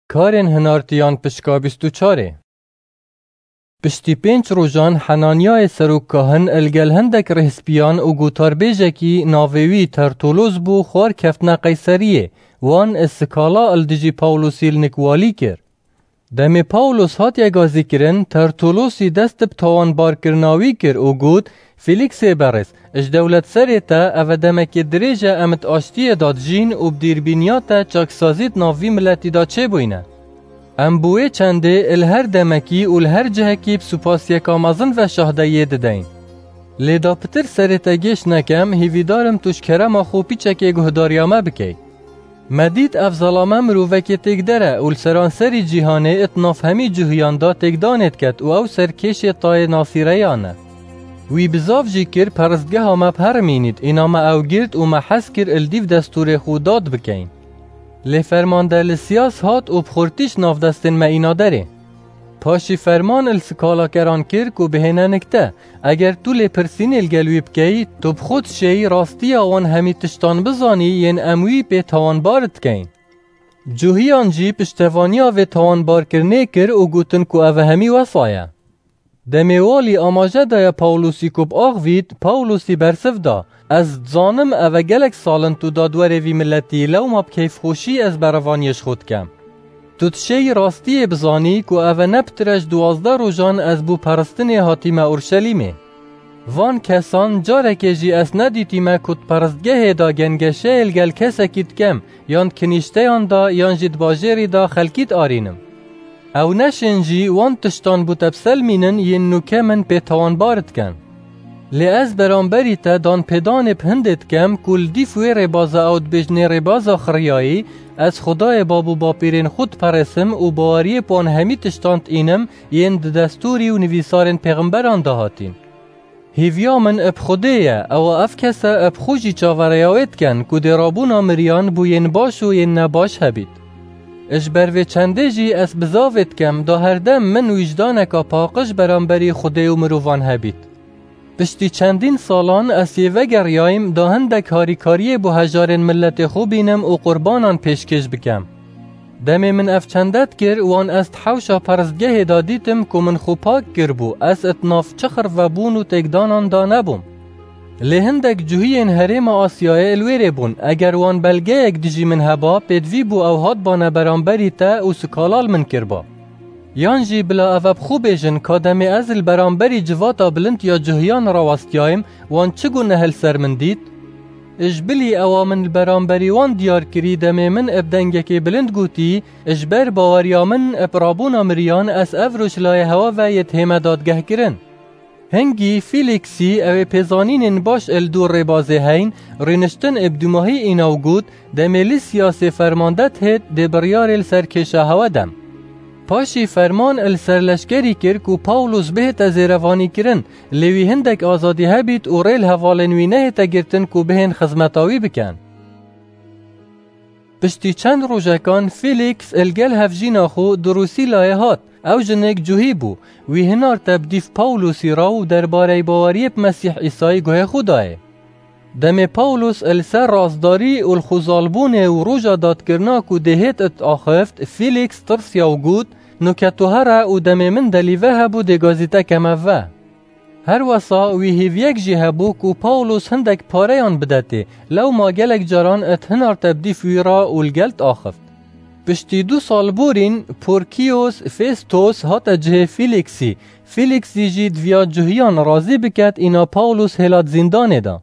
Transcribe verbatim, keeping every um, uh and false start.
Karên hinartiyan pişka bîst û çarê. Piştî pênc rojan Henanyayê serokkahin li gel hindek rêhspiyan û gotarbêjekî navê wî Tertulos bû xwar keftine Qeyseriyê, wan skala li dijî Pawlosî li nik walî kir. Demê Pawlos hatiye gazîkirin, Tertulosî dest bi tawanbarkirina wî kir û got, Fîlîksê berêz, ji dewletserê te eve demekê dirêj e em di aştiyê de dijîn û bi dîrbîniya te çaksazî di nav vî miletî de çêbûyne. Em bi wê çendê li her demekî û li her cihekî bi supasiyeka mezin ve şahdeyiyê dideyin. Lê da pitir serê te gêş nekem, hîvîdar im tu ji kerema xwe pîçekê guhdariya me bikey. Me dît ev zelame mirovekê têkder e û li seranserî cîhanê it nav hemî cuhiyan da têkdanê diket û ew ser kêşê tayê Nasîreyan e. Wî bizav jî kir peristgeha me bi herimînît, îna me ew girt û me hez kir li dîv destûrê xwe dad bikeyin. Lê fermande Lisiyas hat û bi xurtî ji nav destên me îna derê. Paşî ferman li skalakeran kir ku bihêne nik te, eger tu lêpirsînê li gel wî bikeyî, tu bi xwe dişêyî rastiya wan hemî tiştan bizanî yên em wî pê tawanbar dikeyin. Cuhiyan jî piştevaniya vê tawanbarkirinê kir û gotin ku ev hemî wesa ye. Demê walî amaje daye Pawlosî ku biaxivît, Pawlosî bersiv da, Ez dizanim eve gelek sal in tu dadwerê vî miletî, lewma bi keyfxweşî ez berevaniyê ji xwe dikem. Tu dişêyî rastiyê bizanî ku eve ne pitir e ji duwazdeh rojan ez bo peristinê hatîme Urşelîmê. Van kesan carekê jî ez nedîtîme ku di peristgehê de gengeşeyê li gel kesekî dikem, yan di kinîşteyan de, yan jî di bajêrî de xelkî diarînim. Ew neşên jî wan tiştan bo te biselmînin yên nûke min pê tawanbar dikin. Lê ez beramberî te danpêdanê bi hindê dikem ku li dîf wê rêbaza ew dibêjnê rêbaza xiriyayî, ez Xwedayê bab û bapîrên xwe diperêsim û baweriyê bi wan hemî tiştan diînim yên di destûrî û nivîsarên pêxemberan de hatîn. Hêviya min bi Xwedê ye, ewa ev kese bi xwe jî çaverêya wê dikin ku dê rabûna miriyan bo yên baş û yên nebaş hebît. Ji ber vê çendê jî ez bizavê dikem da herdem min wîjdaneka paqij beramberî Xwedê û mirovan hebît. Piştî çendîn salan ez yê vegeriyayim da hindek harîkariyê bo hejarên miletê xwe bînim û qurbanan pêşkêş bikem. Demê min ev çende dikir, wan ez di hewşa peristgehê de dîtim ku min xwe pak kiribû, ez di nav çi xirvebûn û têkdanan de nebûm. Lê hindek cuhiyên herêma Asyayê li wêrê bûn, eger wan belgeyek dijî min heba, pêdivî bû ew hatbane beramberî te û sikala li min kiriba. Yan jî bila ev bi xwe bêjin ka demê ez li beramberî civata bilind ya cuhiyan rawestiyayim, wan çi guneh li ser min dît? Ji bilî ewa min li beramberî wan diyar kirî, demê min bi dengekê bilind gotî, ji ber baweriya min bi rabûna miriyan ez ev roj layê hewa ve yê dihême dadgehkirin. Hingî Fîlîksî ew ê pêzanînên baş li dûr rêbazê heyn, rûniştin bi dûmahî îna û got, Demê Lîsiyasê fermande dihêt dê biryarê li ser kêşa hewe dem. Paşî ferman li ser leşkerî kir ku Pawlos bihête zêrevanîkirin, lê wî hindek azadî hebît û rê li hevalên wî nehête girtin ku bihên xizmeta wî bikin. Piştî çend rojekan Fîlîks li gel hevjîna xwe Durusîlayê hat. Ew jinik cuhî bû. Wî hinar te bi dîv Pawlosî ra û derbarey baweriyê bi Mesîh Îsayî guhê xwe dayê. Demê Pawlos li ser rastdarî û li xwezalbûnê û roja dadkirina ku dê hêt it axift, Fîlîks tirsiya û got, Nuke tu here û demê min delîve hebû dê gazî te keme ve. Her wesa wî hêviyek jî hebû ku Pawlos hindek pareyan bidetê, lewma gelek caran it hinar te bi dîv wî ra û li gel diaxift. Piştî du sal borîn Porkiyos Festos hate cihê Fîlîksî. Fîlîksî jî diviya cuhiyan razî biket, îna Pawlos hêlat zîndanê da.